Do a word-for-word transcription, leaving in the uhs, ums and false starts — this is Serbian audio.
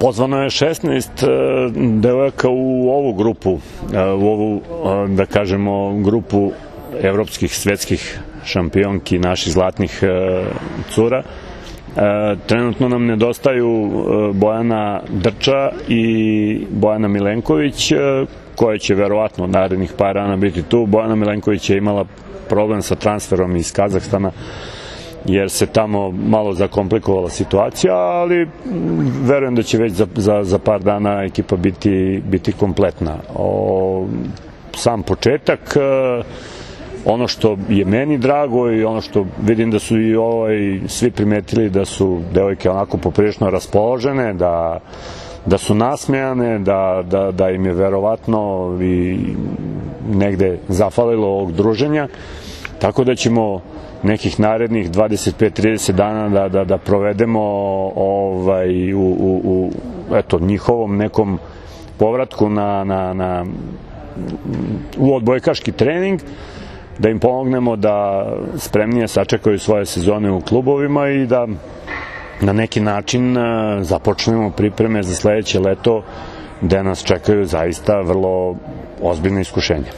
Pozvano je šesnaest devojaka u ovu grupu, u ovu, da kažemo, grupu evropskih, svetskih šampionki, naših zlatnih cura. Trenutno nam nedostaju Bojana Drča i Bojana Milenković, koja će verovatno narednih par dana biti tu. Bojana Milenković je imala problem sa transferom iz Kazahstana, jer se tamo malo zakomplikovala situacija, ali verujem da će već za, za, za par dana ekipa biti, biti kompletna. O, sam početak, ono što je meni drago i ono što vidim da su i ovaj, svi primetili da su devojke onako poprilično raspoložene, da, da su nasmejane, da, da, da im je verovatno i negde zafalilo ovog druženja, tako da ćemo nekih narednih dvadeset pet do trideset dana da, da, da provedemo ovaj, u, u, u eto, njihovom nekom povratku na, na, na, u odbojkaški trening, da im pomognemo da spremnije sačekaju svoje sezone u klubovima i da na neki način započnemo pripreme za sledeće leto, gde nas čekaju zaista vrlo ozbiljne iskušenja.